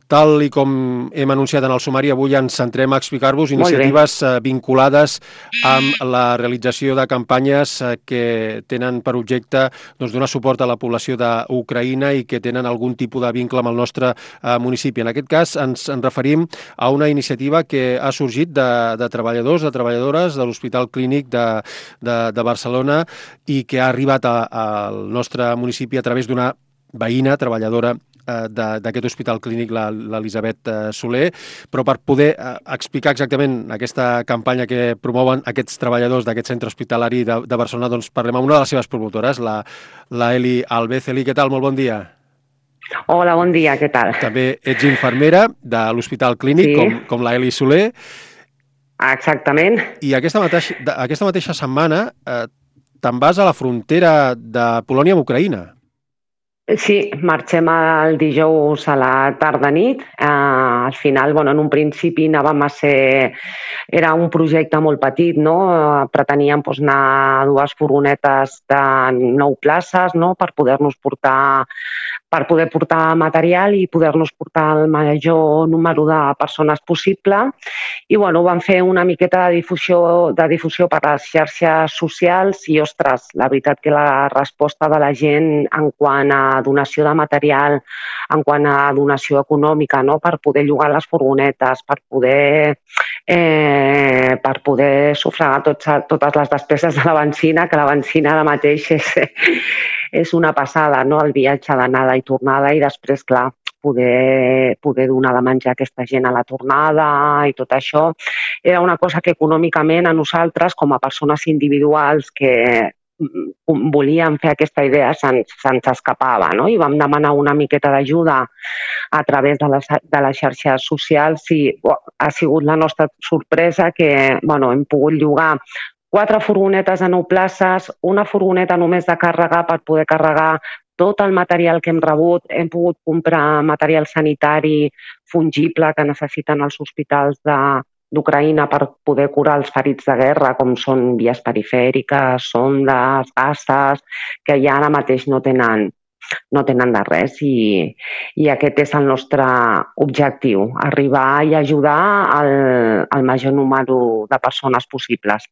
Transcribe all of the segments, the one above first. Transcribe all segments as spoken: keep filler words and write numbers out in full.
Tal i com hem anunciat en el sumari, avui ens centrem a explicar-vos iniciatives vinculades amb la realització de campanyes que tenen per objecte doncs, donar suport a la població d'Ucraïna i que tenen algun tipus de vincle amb el nostre eh, municipi. En aquest cas ens en referim a una iniciativa que ha sorgit de, de treballadors, de treballadores de l'Hospital Clínic de, de, de Barcelona i que ha arribat a, al nostre municipi a través d'una veïna, treballadora d'aquest hospital clínic, l'Elisabet Soler, però per poder explicar exactament aquesta campanya que promouen aquests treballadors d'aquest centre hospitalari de, de Barcelona, doncs parlem amb una de les seves promotores, la, la Eli Alvez. Eli, què tal? Molt bon dia. Hola, bon dia, què tal? També ets infermera de l'Hospital Clínic, sí. com, com la Eli Soler. Exactament. I aquesta mateixa, aquesta mateixa setmana eh, te'n vas a la frontera de Polònia amb Ucraïna. Sí, marxem el dijous a la tarda-nit. Eh, al final, bueno, en un principi anàvem a ser... Era un projecte molt petit, no? Preteníem doncs, anar a dues furgonetes de nou places, no? Per poder-nos portar per poder portar material i poder-nos portar el major número de persones possible. I bueno, vam fer una miqueta de difusió, de difusió per les xarxes socials i, ostres, la veritat que la resposta de la gent en quant a donació de material, en quant a donació econòmica, no? Per poder llogar les furgonetes, per poder, eh, per poder sufragar tots, totes les despeses de la benzina, que la benzina ara mateix és, és una passada, no? El viatge d'anada i tornada i després, clar, poder, poder donar de menjar a aquesta gent a la tornada i tot això. Era una cosa que econòmicament a nosaltres, com a persones individuals que volíem fer aquesta idea, se'ns se escapava, no? I vam demanar una miqueta d'ajuda a través de les, de les xarxes socials i oh, ha sigut la nostra sorpresa que bueno, hem pogut llogar quatre furgonetes a nou places, una furgoneta només de càrrega per poder carregar tot el material que hem rebut. Hem pogut comprar material sanitari fungible que necessiten els hospitals de d'Ucraïna per poder curar els ferits de guerra, com són vies perifèriques, sondes, gasses, que ja ara mateix no tenen, no tenen de res i, i aquest és el nostre objectiu, arribar i ajudar al, al major número de persones possibles.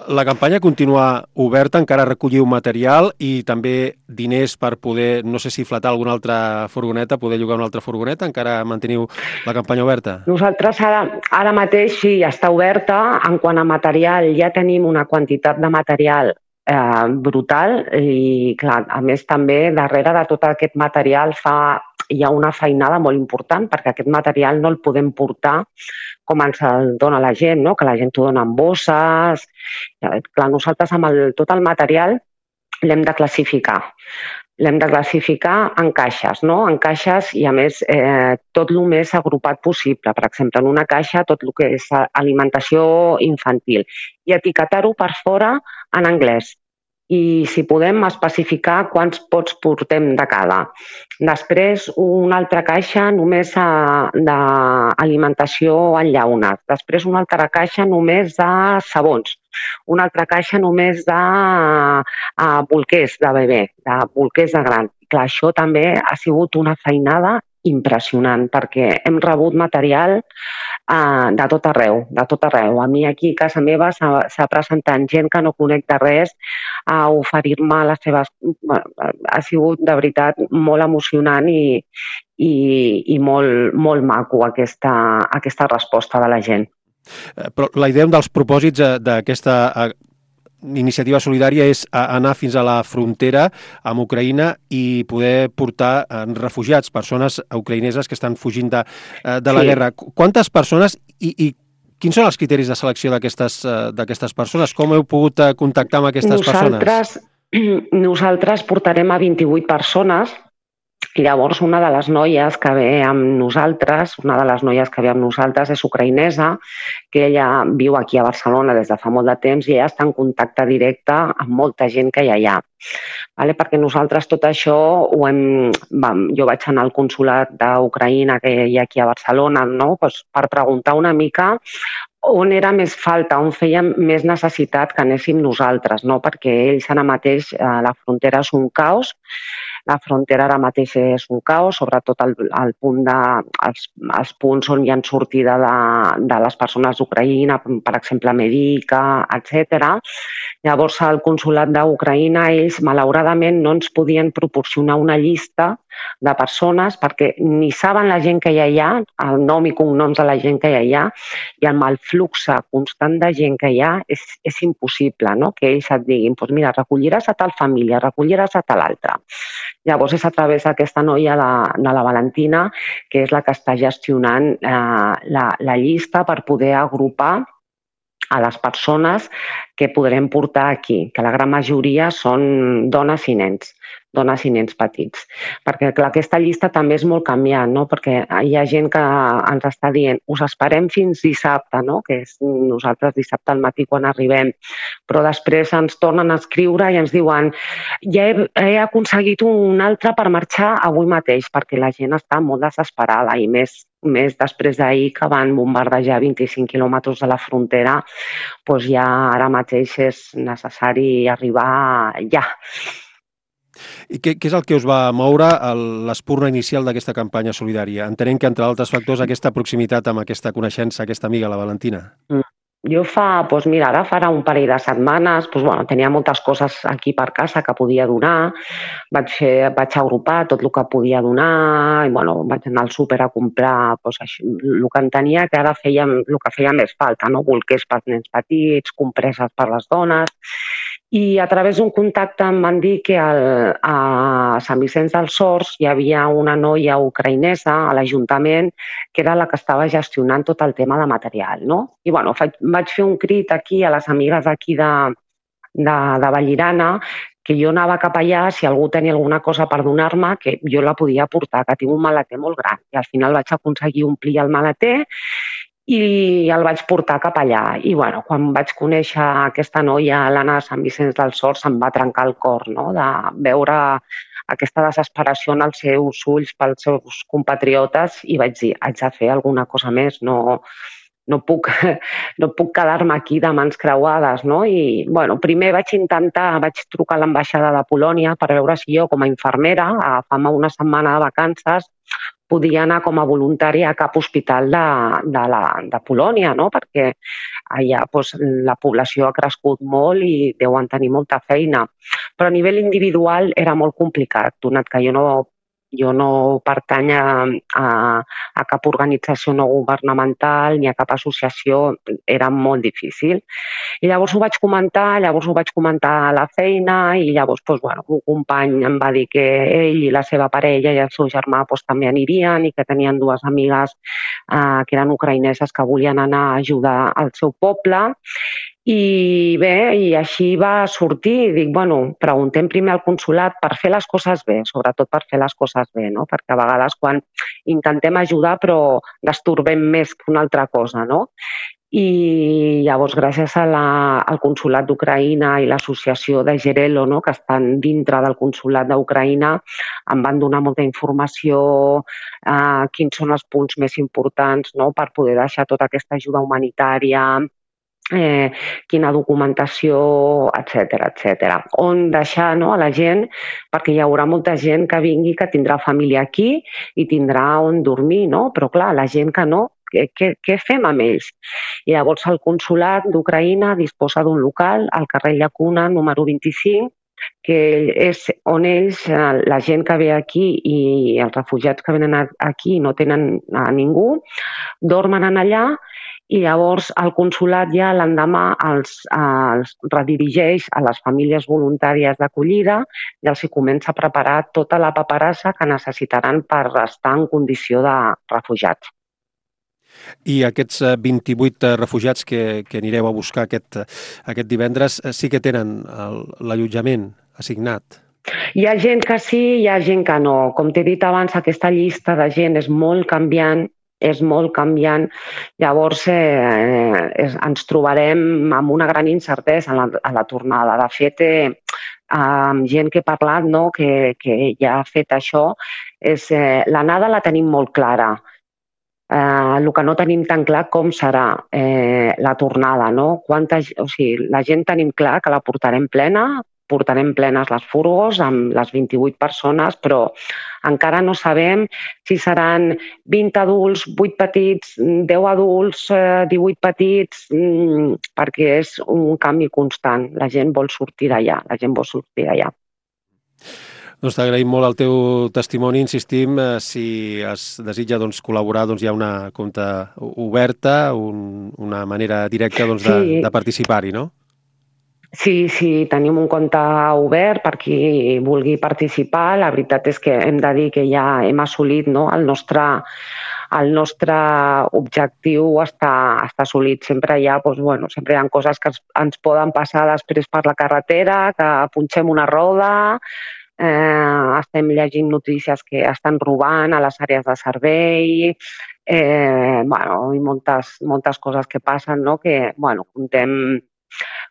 La campanya continua oberta, encara recolliu material i també diners per poder, no sé si flatar alguna altra furgoneta, poder llogar una altra furgoneta, encara manteniu la campanya oberta? Nosaltres ara, ara mateix sí, ja està oberta. En quant a material, ja tenim una quantitat de material eh, brutal i, clar, a més també darrere de tot aquest material fa hi ha una feinada molt important perquè aquest material no el podem portar com ens el dona la gent, no? Que la gent ho dona en bosses. Clar, nosaltres amb el, tot el material l'hem de classificar. L'hem de classificar en caixes, no? En caixes i, a més, eh, tot el més agrupat possible. Per exemple, en una caixa tot el que és alimentació infantil i etiquetar-ho per fora en anglès. I si podem especificar quants pots portem de cada. Després, una altra caixa només d'alimentació en llaunes. Després, una altra caixa només de sabons. Una altra caixa només de bolquers de bebè, de bolquers de gran. Clar, això també ha sigut una feinada impressionant perquè hem rebut material uh, de tot arreu, de tot arreu. A mi aquí a casa meva s'ha presentat gent que no conec de res a oferir-me les seves... Ha sigut de veritat molt emocionant i, i, i molt, molt maco aquesta, aquesta resposta de la gent. Però la idea dels propòsits d'aquesta iniciativa solidària és anar fins a la frontera amb Ucraïna i poder portar refugiats, persones ucraïneses que estan fugint de, de la sí. guerra. Quantes persones i, i quins són els criteris de selecció d'aquestes d'aquestes persones? Com heu pogut contactar amb aquestes nosaltres, persones? Nosaltres portarem a vint-i-vuit persones. Llavors, una de les noies que ve amb nosaltres, una de les noies que ve amb nosaltres és ucraïnesa, que ella viu aquí a Barcelona des de fa molt de temps i ella està en contacte directe amb molta gent que hi ha allà. Vale? Perquè nosaltres tot això ho hem... Vam, jo vaig anar al consolat d'Ucraïna que hi ha aquí a Barcelona, no? Pues per preguntar una mica on era més falta, on feia més necessitat que anéssim nosaltres, no? Perquè ells ara mateix, a la frontera és un caos. La frontera ara mateix és un caos, sobretot el, el punt de, els, els punts on hi ha sortida de, de les persones d'Ucraïna, per exemple, Medica, etcètera. Llavors, el consulat d'Ucraïna, ells, malauradament, no ens podien proporcionar una llista de persones perquè ni saben la gent que hi ha allà, el nom i cognoms de la gent que hi ha, i amb el flux constant de gent que hi ha és, és impossible, no? Que ells et diguin, doncs mira, recolliràs a tal família, recolliràs a tal altra. Llavors és a través d'aquesta noia de, de la Valentina, que és la que està gestionant eh, la, la llista per poder agrupar a les persones que podrem portar aquí, que la gran majoria són dones i nens, dones i nens petits. Perquè clar, aquesta llista també és molt canviant, no? Perquè hi ha gent que ens està dient us esperem fins dissabte, no? Que és nosaltres dissabte al matí quan arribem, però després ens tornen a escriure i ens diuen ja he, he aconseguit un altre per marxar avui mateix, perquè la gent està molt desesperada i més més després d'ahir que van bombardejar vint-i-cinc quilòmetres de la frontera, doncs ja ara mateix és necessari arribar ja. I què, què és el que us va moure l'espurna inicial d'aquesta campanya solidària? Entenem que, entre altres factors, aquesta proximitat amb aquesta coneixença, aquesta amiga, la Valentina. Mm. Jo fa, doncs mira, ara farà un parell de setmanes, doncs bueno, tenia moltes coses aquí per casa que podia donar, vaig, fer, vaig agrupar tot el que podia donar, i bueno, vaig anar al súper a comprar doncs, això, el que en tenia, que ara feia el que feia més falta, no? Bolquers pels nens petits, compreses per les dones, i a través d'un contacte em van dir que al, a Sant Vicenç dels Horts hi havia una noia ucraïnesa a l'Ajuntament que era la que estava gestionant tot el tema de material, no? I bueno, faig, vaig fer un crit aquí a les amigues d'aquí de, de, de Vallirana que jo anava cap allà, si algú tenia alguna cosa per donar-me, que jo la podia portar, que tinc un maleter molt gran. I al final vaig aconseguir omplir el maleter i el vaig portar cap allà. I bueno, quan vaig conèixer aquesta noia, l'Anna de Sant Vicenç dels Horts, em va trencar el cor, no? De veure aquesta desesperació en els seus ulls pels seus compatriotes i vaig dir, haig de fer alguna cosa més, no, no puc, no puc quedar-me aquí de mans creuades, no? I bueno, primer vaig intentar, vaig trucar a l'ambaixada de Polònia per veure si jo com a infermera, agafant-me una setmana de vacances, podia anar com a voluntària a cap hospital de, de, la, de Polònia, no? Perquè allà doncs, la població ha crescut molt i deuen tenir molta feina. Però a nivell individual era molt complicat, donat que jo no, jo no pertany a, a, a cap organització no governamental ni a cap associació, era molt difícil. I llavors ho vaig comentar, llavors ho vaig comentar a la feina i llavors doncs, bueno, un company em va dir que ell i la seva parella i el seu germà doncs, també anirien i que tenien dues amigues eh, que eren ucraïneses que volien anar a ajudar al seu poble. I bé, i així va sortir, dic, bueno, preguntem primer al consulat per fer les coses bé, sobretot per fer les coses bé, no? Perquè a vegades quan intentem ajudar però destorbem més que una altra cosa, no? I llavors gràcies a la, al consulat d'Ucraïna i l'associació de Gerelo, no? Que estan dintre del consulat d'Ucraïna, em van donar molta informació, eh, quins són els punts més importants, no? Per poder deixar tota aquesta ajuda humanitària, Eh, quina documentació, etcètera, etcètera. On deixar, no, a la gent, perquè hi haurà molta gent que vingui, que tindrà família aquí i tindrà on dormir, no? Però clar, la gent que no, què, què, què fem amb ells? I llavors el consulat d'Ucraïna disposa d'un local al carrer Llacuna, número vint-i-cinc, que és on ells, la gent que ve aquí i els refugiats que venen aquí no tenen a ningú, dormen en allà i llavors el consulat ja l'endemà els, els redirigeix a les famílies voluntàries d'acollida i els hi comença a preparar tota la paperassa que necessitaran per estar en condició de refugiats. I aquests vint-i-vuit refugiats que, que anireu a buscar aquest, aquest divendres sí que tenen l'allotjament assignat? Hi ha gent que sí, hi ha gent que no. Com t'he dit abans, aquesta llista de gent és molt canviant, és molt canviant, llavors eh, és, ens trobarem amb una gran incertesa a la, a la tornada. De fet, eh, amb gent que he parlat, no, que, que ja ha fet això, és, eh, l'anada la tenim molt clara. Eh, el que no tenim tan clar com serà eh, la tornada, no? Quanta, o sigui, la gent tenim clar que la portarem plena, portarem plenes les furgos amb les vint-i-vuit persones, però encara no sabem si seran vint adults, vuit petits, deu adults, divuit petits, perquè és un canvi constant. La gent vol sortir d'allà, la gent vol sortir d'allà. Doncs t'agraïm molt el teu testimoni, insistim, si es desitja doncs, col·laborar, doncs hi ha una compta oberta, un, una manera directa doncs, de, sí. de participar-hi, no? Sí, sí, tenim un compte obert per qui vulgui participar. La veritat és que hem de dir que ja hem assolit, no? el, nostre, el nostre objectiu està, està assolit. Sempre hi ha, doncs, bueno, sempre hi ha coses que ens, ens poden passar després per la carretera, que punxem una roda, eh, estem llegint notícies que estan robant a les àrees de servei, eh, bueno, i moltes, moltes coses que passen, no? Que bueno, contem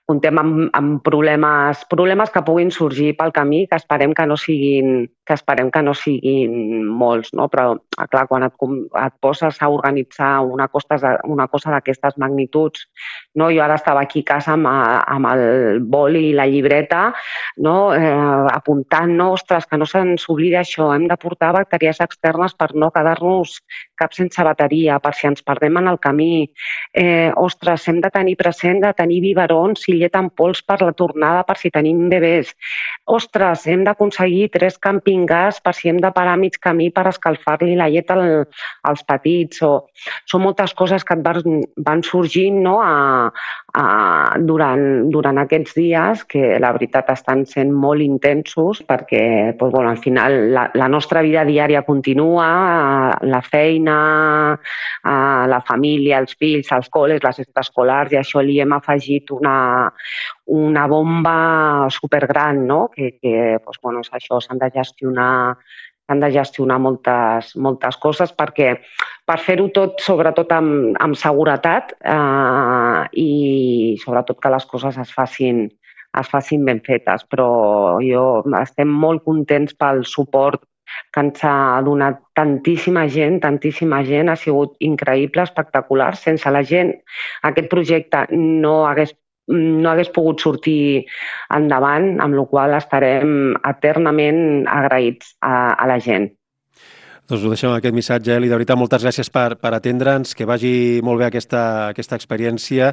comptem amb, amb problemes, problemes que puguin sorgir pel camí, que esperem que no siguin, que esperem que no siguin molts, no? Però, clar, quan et, et poses a organitzar una cosa, una cosa d'aquestes magnituds, no? Jo ara estava aquí a casa amb, amb el boli i la llibreta, no? eh, apuntant, no? Ostres, que no se'ns oblidi això, hem de portar bateries externes per no quedar-nos cap sense bateria, per si ens perdem en el camí. Eh, ostres, hem de tenir present de tenir biberons i llet en pols per la tornada, per si tenim bebès. Ostres, hem d'aconseguir tres camping gas per si hem de parar a mig camí per escalfar-li la llet al, als petits. O, són moltes coses que et van, van sorgint, no? a, a, durant, durant aquests dies, que la veritat estan sent molt intensos, perquè doncs, bueno, al final la, la nostra vida diària continua, la feina, la família, els fills, els col·les, les extraescolars, i això li hem afegit una una bomba supergran, no? Que, que doncs, bueno, és això, s'han de gestionar s'han de gestionar moltes, moltes coses perquè per fer-ho tot, sobretot amb, amb seguretat eh, i sobretot que les coses es facin, es facin ben fetes. Però jo estem molt contents pel suport que ens ha donat tantíssima gent, tantíssima gent, ha sigut increïble, espectacular. Sense la gent aquest projecte no hagués no hagués pogut sortir endavant, amb la qual cosa estarem eternament agraïts a, a la gent. Doncs ho deixem amb aquest missatge, Eli. De veritat, moltes gràcies per, per atendre'ns, que vagi molt bé aquesta, aquesta experiència,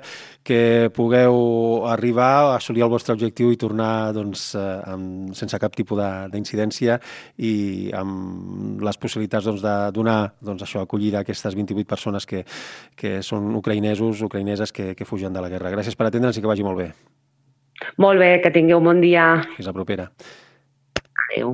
que pugueu arribar a assolir el vostre objectiu i tornar doncs, amb, sense cap tipus d'incidència i amb les possibilitats doncs, de donar doncs, això, acollida a aquestes vint-i-vuit persones que, que són ucraïnesos, ucraïneses que, que fugen de la guerra. Gràcies per atendre'ns i que vagi molt bé. Molt bé, que tingueu un bon dia. Fins la propera.